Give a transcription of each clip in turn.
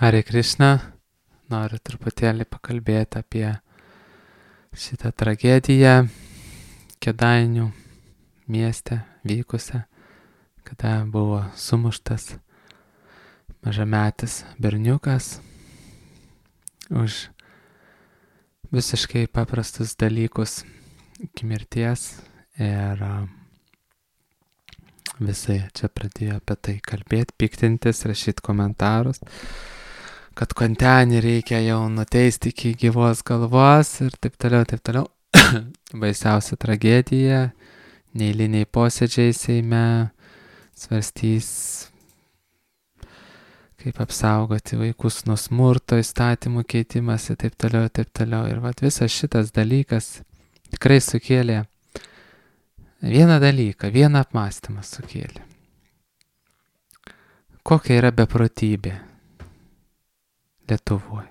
Hare Krishna, noriu truputėlį pakalbėti apie šitą tragediją Kėdainių mieste vykusią, kada buvo sumuštas mažametis berniukas už visiškai paprastus dalykus iki mirties ir visai čia pradėjo apie tai kalbėti, piktintis, rašyti komentarus, kad kontenį reikia jau nuteisti iki gyvos galvos ir taip toliau, taip toliau. Baisiausia tragedija, neeiliniai posėdžiai Seime svarstys, kaip apsaugoti vaikus nuo smurto, įstatymų keitimas ir taip toliau, taip toliau. Ir visas šitas dalykas tikrai sukėlė vieną dalyką, vieną apmąstymą sukėlė. Kokia yra beprotybė Lietuvoje?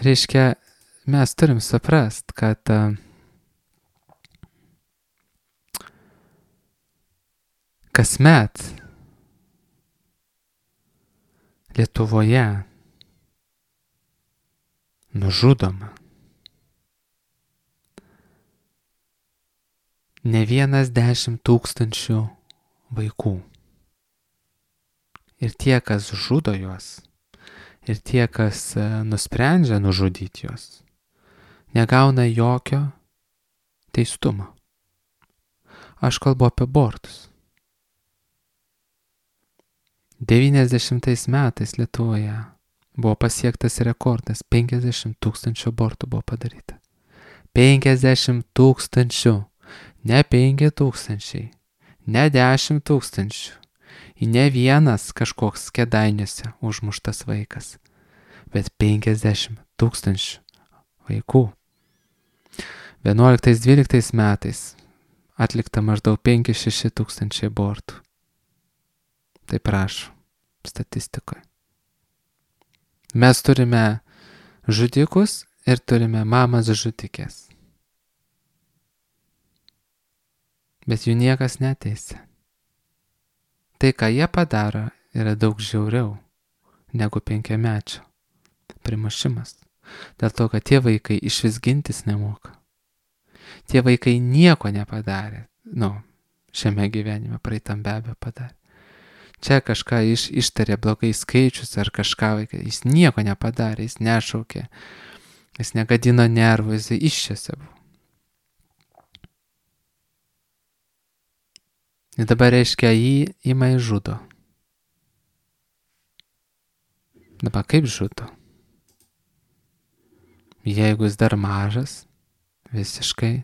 Reiškia, mes turim suprast, kad kasmet Lietuvoje nužudoma ne 10 000 vaikų. Ir tie, kas žudo juos, ir tie, kas nusprendžia nužudyti juos, negauna jokio teistumo. Aš kalbu apie abortus. 90 metais Lietuvoje buvo pasiektas rekordas, 50 000 abortų buvo padaryta. 50 000, ne 5 000, ne 10 000. Ne vienas kažkoks Kėdainiuose užmuštas vaikas, bet 50 000 vaikų. 11-12 metais atlikta maždaug 5-6 tūkstančiai abortų. Tai prašau, statistikoje. Mes turime žudikus ir turime mamas žudikės. Bet jų niekas neteisia. Tai, ką jie padaro, yra daug žiauriau negu 5-mečio primušimas. Dėl to, kad tie vaikai išvis gintis nemoka. Tie vaikai nieko nepadarė. Šiame gyvenime, praeitam be abejo padarė. Čia kažką ištarė blogai skaičius ar kažką vaikai. Jis nieko nepadarė, jis nešaukė, jis negadino nervų, jis iščiose buvo. Ir dabar reiškia, jį ima ir žudo. Dabar kaip žudo? Jeigu jis dar mažas, visiškai,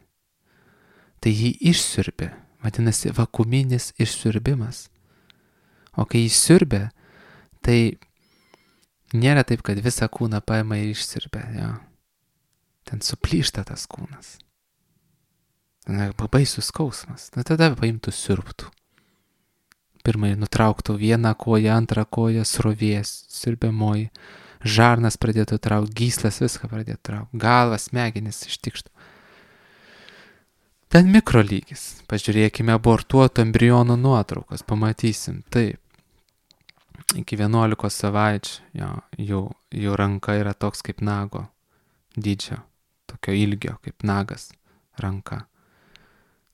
tai jį išsiurbė. Vadinasi, vakuuminis išsiurbimas. O kai jį siurbė, tai nėra taip, kad visą kūną paima ir išsiurbė. Jo. Ten suplyšta tas kūnas. Baisus skausmas. Tada paimtų siurbtų. Pirmai nutrauktų vieną koją, antrą koją, srovės, siurbiamoji. Žarnas pradėtų traukti, gyslas viską pradėtų traukti. Galvas, smegenis ištikštų. Ten mikrolygis. Pažiūrėkime abortuotų embrionų nuotraukas. Pamatysim. Taip. Iki 11 savaičių jų ranka yra toks kaip nago dydžio. Tokio ilgio kaip nagas ranka.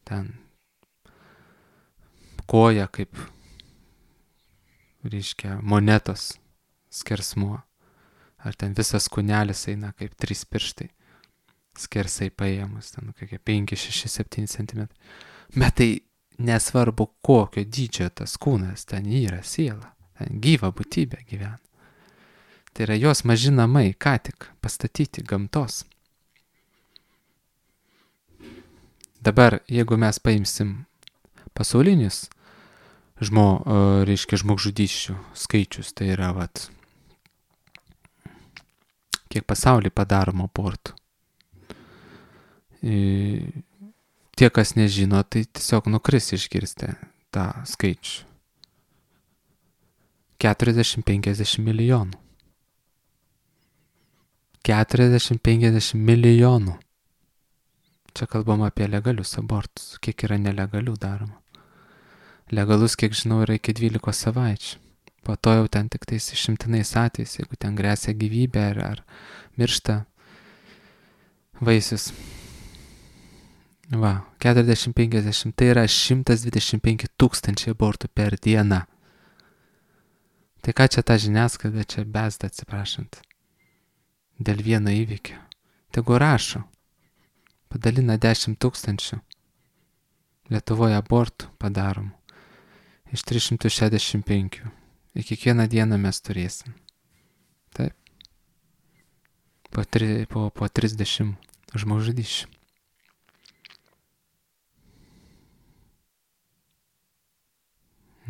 Ten koja kaip, reiškia, monetos skersmuo. Ar ten visas kūnelis eina kaip 3 pirštai. Skersai paėmus, ten kokie 5, 6, 7 cm. Bet tai nesvarbu kokio dydžio tas kūnas, ten yra siela. Ten gyva būtybė gyvena. Tai yra jos maži namai, ką tik pastatyti gamtos. Dabar, jeigu mes paimsim pasaulinius žmogžudysčių skaičius, tai yra kiek pasaulyje padaroma abortų. Tie, kas nežino, tai tiesiog nukris išgirsti tą skaičių. 40-50 milijonų. 40-50 milijonų. Čia kalbam apie legalius abortus, kiek yra nelegalių daroma. Legalus, kiek žinau, yra iki 12 savaičių. Po to jau ten tik tais išimtinais atvejais, jeigu ten grėsia gyvybė ar miršta vaisius. Va, 40-50, tai yra 125 000 abortų per dieną. Tai ką čia ta žiniasklaida čia bezda, atsiprašant, dėl vieno įvykio. Tegu rašo, padalina 10 000 Lietuvoje abortų padaromų iš 365. Ir kiekvieną dieną mes turėsim. Taip. Po 30 žmogžudysčių.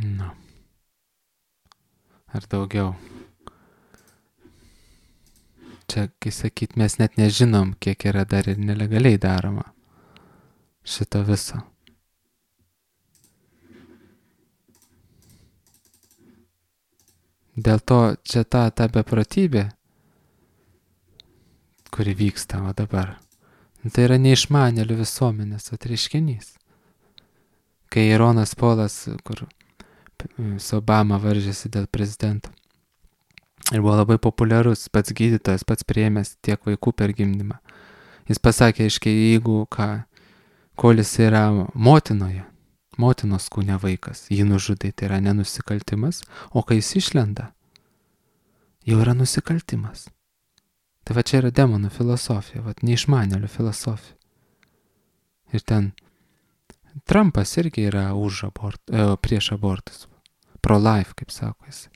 Nu. Ar daugiau. Čia, kai sakyt, mes net nežinom, kiek yra dar ir nelegaliai daroma šito viso. Dėl to čia ta beprotybė, kuri vyksta o dabar, tai yra neišmanėlių visuomenės atreiškinys. Kai Ronas Polas, kur su Obama varžėsi dėl prezidento, ir buvo labai populiarus, pats gydytojas, pats priėmęs tiek vaikų per gimdymą. Jis pasakė, aiškiai, jeigu kol jis yra motinos kūne vaikas, jį nužudai, tai yra nenusikaltimas, o kai jis išlenda, jau yra nusikaltimas. Tai va čia yra demonų filosofija, va neišmanėlių filosofija. Ir ten Trumpas irgi yra prieš abortus. Pro-life, kaip sako jis.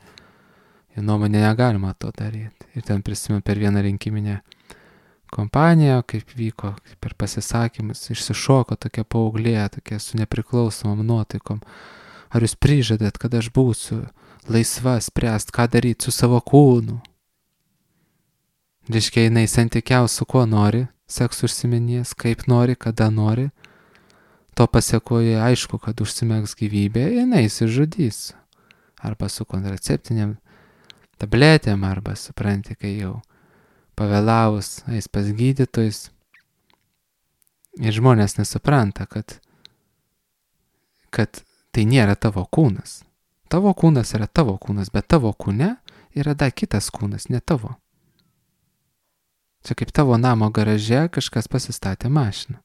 Jo nuomonė negalima to daryti. Ir ten prisimenu per vieną rinkiminę kompaniją, kaip vyko per pasisakymus, išsišoko tokia paauglė, tokia su nepriklausomom nuotaikom. Ar jūs prižadat, kad aš būsiu laisva spręst, ką daryti su savo kūnu? Reiškia, jinai santykiaus su kuo nori, seksu užsiminės, kaip nori, kada nori. To pasiekoje aišku, kad užsimegs gyvybė, jinai įsižudys. Arba su kontraceptiniam tabletėm, arba supranti, kai jau pavėlavus eis pas gydytojus. Ir žmonės nesupranta, kad tai nėra tavo kūnas. Tavo kūnas yra tavo kūnas, bet tavo kūne yra dar kitas kūnas, ne tavo. Čia kaip tavo namo garaže kažkas pasistatė mašiną.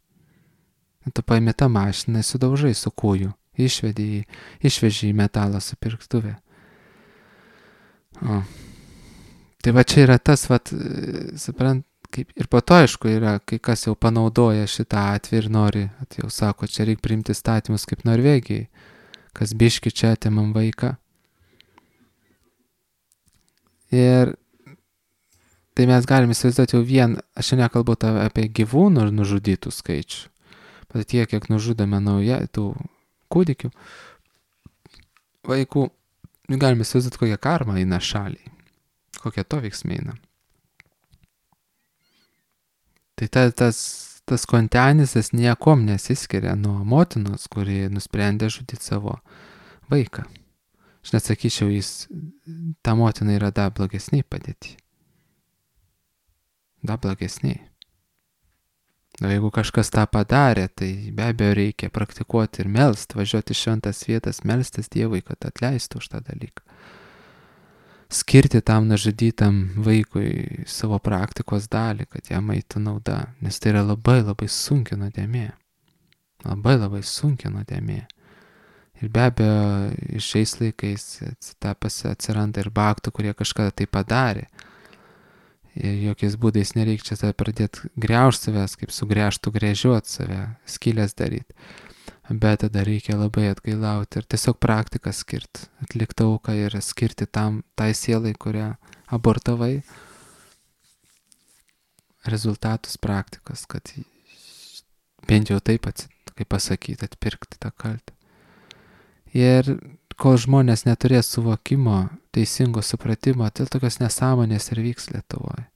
Tu paimi tą mašiną, sudaužai su kūju, išveži į metalą supirktuvę. Tai va čia yra tas, suprant, kaip ir po to aišku yra, kai kas jau panaudoja šitą atvejį ir nori, jau sako, čia reikia priimti statymus kaip Norvegijai, kas biški čia atimam vaiką. Ir tai mes galime įsivaizduoti jau aš čia nekalbu apie gyvūnų ir nužudytų skaičių. Bet tiek, kiek nužudome tų kūdikių, vaikų, galime įsivaizduoti, kokią karmą eina šaliai, kokie to veiksmai eina. Tai tas kontenis, jis niekom nesiskiria nuo motinos, kuri nusprendė žudyti savo vaiką. Aš net sakyčiau, ta motina yra dar blogesniai padėti. Dar blogesniai. O jeigu kažkas tą padarė, tai be abejo reikia praktikuoti ir melst, važiuoti šventas vietas, melstis Dievui, kad atleistų už tą dalyką. Skirti tam nužudytam vaikui savo praktikos dalį, kad jam eitų nauda, nes tai yra labai labai sunki nuodėmė. Labai labai sunki nuodėmė. Ir be abejo, šiais laikais atsiranda ir baktų, kurie kažkada tai padarė. Ir jokiais būdais nereikia čia pradėti greužti savęs, kaip sugręžtų gręžiuoti save, skylės daryti. Bet tada reikia labai atgailauti ir tiesiog praktiką skirti, atlikti auką ir skirti tai sielai, kurią abortavai, rezultatus praktikos, kad bent jau taip, kaip pasakyti, atpirkti tą kaltę. Ir kol žmonės neturės suvokimo, teisingo supratimo, tai tokios nesąmonės ir vyks Lietuvoje.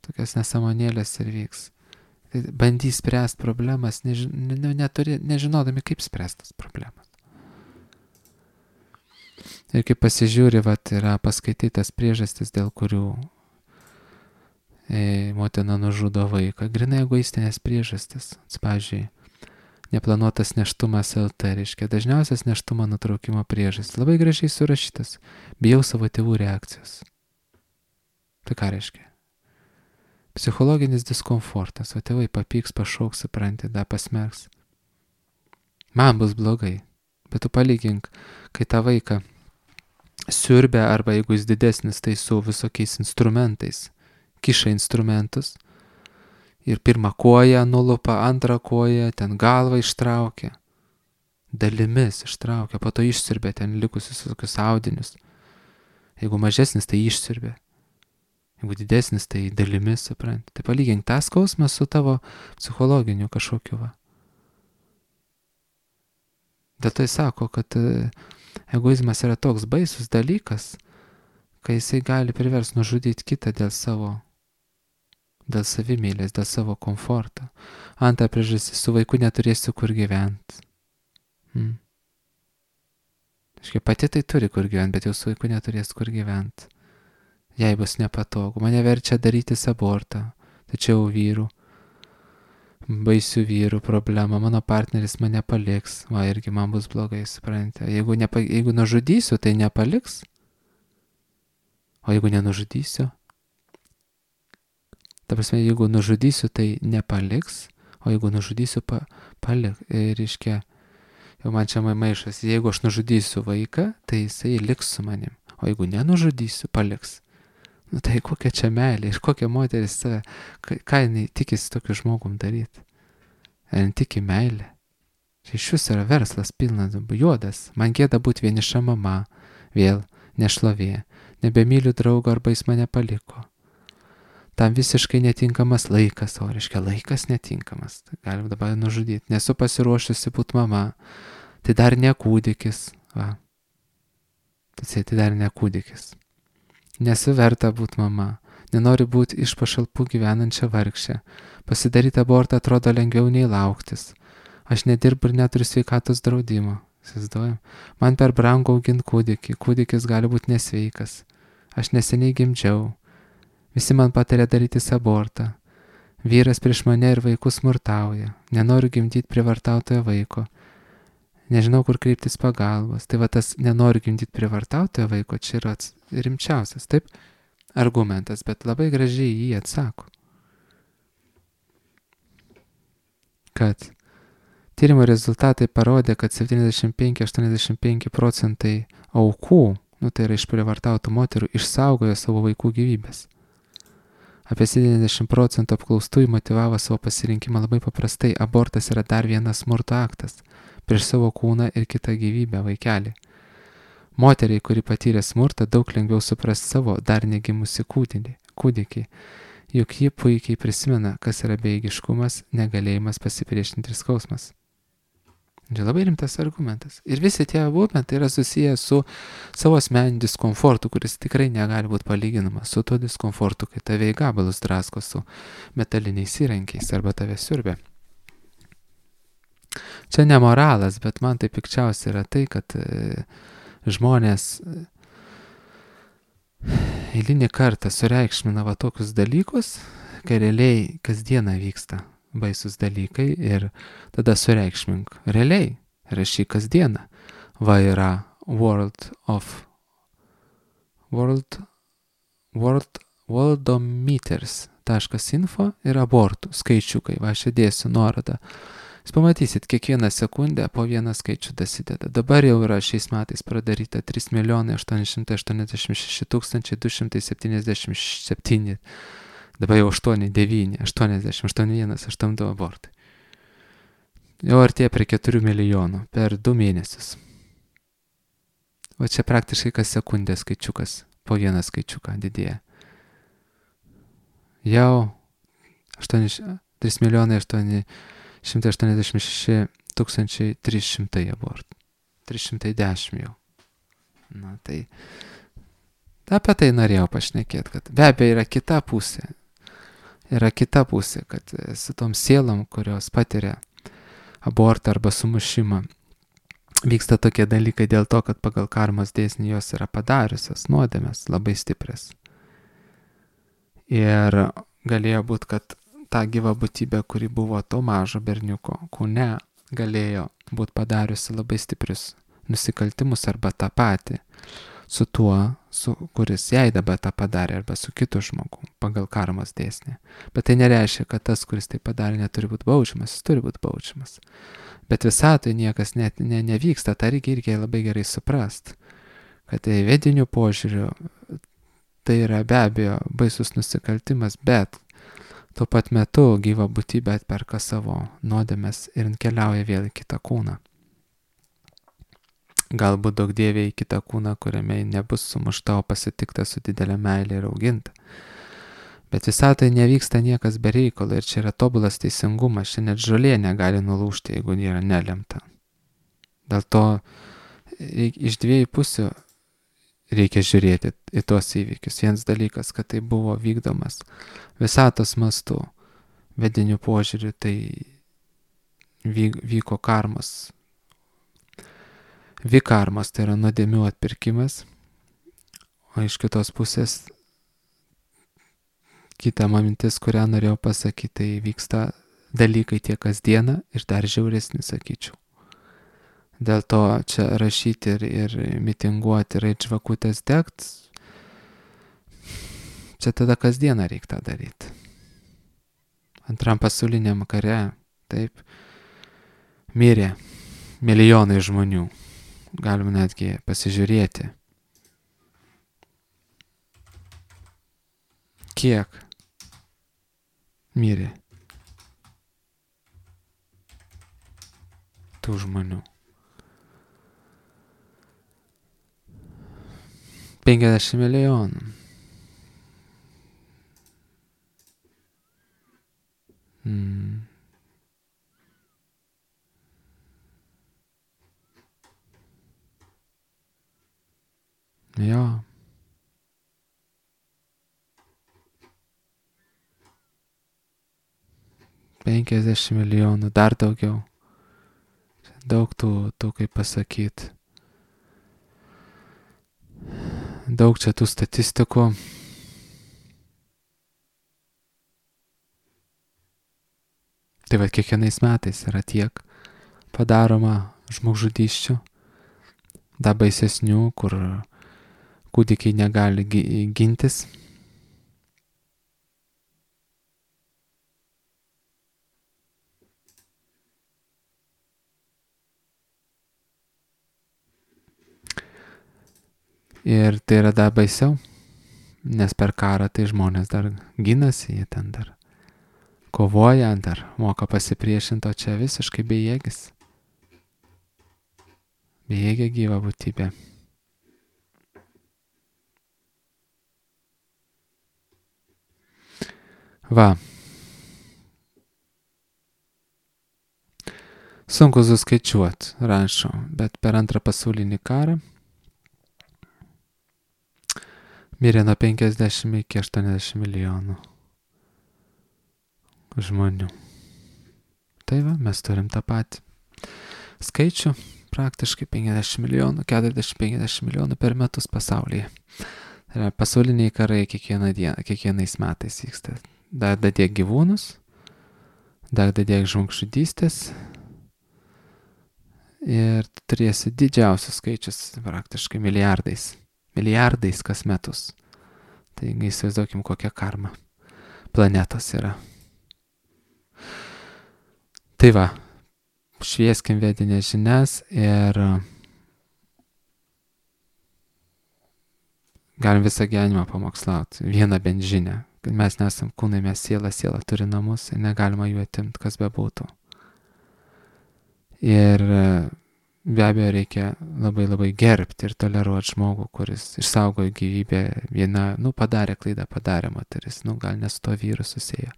Tokios nesąmonėlės ir vyks. Tai bandys spręsti problemas, nežinodami, kaip spręstas problemas. Ir kaip pasižiūri, yra paskaitytas priežastis, dėl kurių motina nužudo vaiką. Grynai egoistinės priežastis. Pavyzdžiui, Neplanuotas nėštumas LT, reiškia dažniausias nėštumo nutraukimo priežastis. Labai gražiai surašytas. Bijau savo tėvų reakcijos. Tai ką reiškia? Psichologinis diskomfortas, o tėvai papyks, pašauks, supranti, da pasmerks. Man bus blogai, bet tu palygink, kai tą vaiką siurbia, arba jeigu jis didesnis, tai su visokiais instrumentais, kiša instrumentus ir pirmą koją nulupa, antrą koją, ten galvą ištraukia, dalimis ištraukia, po to išsiurbia ten likusius visokius audinius. Jeigu mažesnis, tai išsiurbia. Jeigu didesnis, tai dalimis, supranti. Tai palygink tą skausmą su tavo psichologiniu kažkokiu va. Dėl to jis sako, kad egoizmas yra toks baisus dalykas, kai jisai gali priversti nužudyti kitą dėl savimėlės, dėl savo komforto. Antra priežastis, su vaiku neturėsiu kur gyventi. Aiškiai, pati tai turi kur gyventi, bet jau su vaiku neturės kur gyventi. Jei bus nepatogu. Mane verčia darytis abortą. Tačiau vyrų, baisių vyrų problema. Mano partneris mane paliks. Va, irgi man bus blogai, suprantate. Jeigu nužudysiu, tai nepaliks. O jeigu nenužudysiu? Ta prasme, jeigu nužudysiu, tai nepaliks. O jeigu nužudysiu, paliks. Reiškia, jau man čia maišas. Jeigu aš nužudysiu vaiką, tai jisai liks su manim. O jeigu nenužudysiu, paliks. Nu tai kokia čia meilė ir kokia moteris save, ką jinai tikisi tokiu žmogum daryti. Ar jin tiki meilė? Čia iš vis yra verslas pilnas, juodas. Man gėda būti vieniša mama, vėl nešlovė. Nebemyliu draugo arba jis mane paliko. Tam visiškai netinkamas laikas, o reiškia laikas netinkamas. Tai galim dabar nužudyti. Nesu pasiruošusi būti mama. Tai dar ne kūdikis. Va. Tai dar ne kūdikis. Nesu verta būti mama. Nenoriu būti iš pašalpų gyvenančia vargšė. Pasidaryti abortą atrodo lengviau nei lauktis. Aš nedirbu ir neturiu sveikatos draudimo. Įsivaizduojam. Man per brangu auginti kūdikį. Kūdikis gali būti nesveikas. Aš neseniai gimdžiau. Visi man patarė darytis abortą. Vyras prieš mane ir vaikus smurtauja. Nenoriu gimdyti prievartautojo vaiko. Nežinau, kur kreiptis pagalbos. Tai va tas nenoriu gimdyti prievartautojo vaiko, čia yra rimčiausias, taip, argumentas, bet labai gražiai jį atsako. Kad tyrimo rezultatai parodė, kad 75-85% aukų, tai yra iš prievartautų moterų, išsaugojo savo vaikų gyvybės. Apie 70% apklaustųjų motyvavo savo pasirinkimą labai paprastai. Abortas yra dar vienas smurto aktas prieš savo kūną ir kitą gyvybę, vaikelį. Moteriai, kuri patyrė smurtą, daug lengviau supras savo dar negimusi kūdikį, juk ji puikiai prisimena, kas yra bejėgiškumas, negalėjimas pasipriešinti ir skausmas. Čia labai rimtas argumentas. Ir visi tie argumentai yra susiję su savo asmeniniu diskomfortu, kuris tikrai negali būti palyginamas su tuo diskomfortu, kai tave į gabalus drasko su metaliniais įrankiais arba tave siurbia. Čia ne moralas, bet man tai pikčiausia yra tai, kad žmonės eilinį kartą sureikšmina va tokius dalykus, kai realiai kasdieną vyksta baisus dalykai ir tada sureikšmink. Realiai rašyk kasdieną. Va yra worldometers.info ir abortų skaičiukai. Va aš įdėsiu nuorodą. Jūs pamatysit, kiekvieną sekundę po vieną skaičių dasideda. Dabar jau yra šiais metais pradaryta 3 886 277. Dabar jau 8, 9, 80, 81, 82 abortai. Jau artėja prie 4 milijonų per 2 mėnesius. O čia praktiškai kas sekundę skaičiukas, po vieną skaičiuką didėja. Jau 3 milijonai 186 300 abortų. 310 jau. Na tai apie tai norėjau pašnekėti, kad be abejo yra kita pusė. Yra kita pusė, kad su tom sielom, kurios patiria abortą arba sumušimą, vyksta tokie dalykai dėl to, kad pagal karmos dėsnį jos yra padariusios nuodėmes labai stiprias. Ir galėjo būti, kad ta gyva būtybė, kuri buvo to mažo berniuko kūne, galėjo būti padariusi labai stiprius nusikaltimus arba tą patį su tuo, kuris jai dabar tą padarė, arba su kitu žmogu pagal karmos dėsnį. Bet tai nereiškia, kad tas, kuris tai padarė, neturi būti baudžiamas, jis turi būti baudžiamas. Bet visatoje niekas net nevyksta, tą reikia labai gerai suprast, kad tai vedinių požiūriu tai yra be abejo baisus nusikaltimas, bet tuo pat metu gyva būtybė atperka savo nuodėmes ir keliauja vėl į kitą kūną. Galbūt daug dievė į kitą kūną, kuriame nebus sumušta, o pasitikta su didelė meilė ir auginta. Bet visatoje nevyksta niekas be reikalo ir čia yra tobulas teisingumas, čia net žolė negali nulūžti, jeigu nėra nelemta. Dėl to iš dviejų pusių reikia žiūrėti į tuos įvykius. Vienas dalykas, kad tai buvo vykdomas visatos mastu, vedinių požiūriu, tai vyko karmos. Vikarmas tai yra nuodėmių atpirkimas, o iš kitos pusės kita mintis, kurią norėjau pasakyti, tai vyksta dalykai tiek kasdieną ir dar žiauresni, sakyčiau. Dėl to čia rašyti ir mitinguoti ir eit žvakutės degt, čia tada kasdieną reikia tą daryti. Antram pasauliniam kare, taip, mirė milijonai žmonių. Galima netgi pasižiūrėti, kiek mirė tų žmonių. 50 milijonų. Jo. $50 milijonų, dar daugiau. Daug tų kaip pasakyti. Daug čia tų statistikų. Tai va, kiekvienais metais yra tiek padaroma žmogžudysčių, dar baisesnių, kur kūdikiai negali gintis. Ir tai yra dar baisiau, nes per karą tai žmonės dar ginasi, jie ten dar kovoja, dar moka pasipriešinti, o čia visiškai bejėgis. Bejėgė gyva būtybė. Va. Sunku suskaičiuoti, rašo, bet per antrą pasaulinį karą mirė nuo 50 iki 80 milijonų žmonių. Tai va, mes turim tą patį skaičių, praktiškai 50 milijonų, 40-50 milijonų per metus pasaulyje. Tai yra pasauliniai karai kiekvieną dieną, kiekvienais metais vyksta. Dar dadėk gyvūnus, dar dadėk žmogžudystės ir turėsi didžiausius skaičius, praktiškai milijardais kas metus. Taigi įsivaizduokim, kokia karma planetos yra. Tai va, švieskim vedinės žinias ir galim visą gyvenimą pamokslauti. Vieną bent žinią, kad mes nesam kūnai, mes siela turi namus ir negalima jų atimti, kas bebūtų. Ir be abejo reikia labai gerbti ir toleruoti žmogų, kuris išsaugojo gyvybę. Viena, padarė klaidą, padarė moteris, gal ne su to vyru susėjo.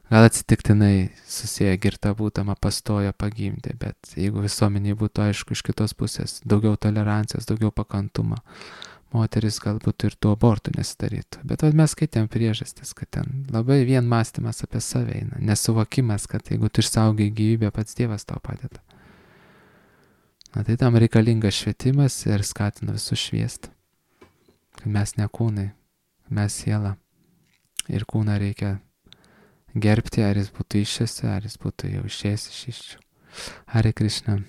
Gal atsitiktinai susėjo girta būdama, pastojo, pagimdė, bet jeigu visuomeniai būtų aišku iš kitos pusės, daugiau tolerancijos, daugiau pakantumo, moteris galbūt ir tų abortų nesidarytų. Bet mes skaitėm priežastis, kad ten labai vien mąstymas apie save eina, nesuvokimas, kad jeigu tu išsaugai gyvybę, pats Dievas tau padeda. Tai tam reikalingas švietimas ir skatina visus šviesti. Kad mes ne kūnai, mes siela. Ir kūną reikia gerbti, ar jis būtų išėsi, ar jis būtų jau išėjęs iš iščių. Hare Krishna.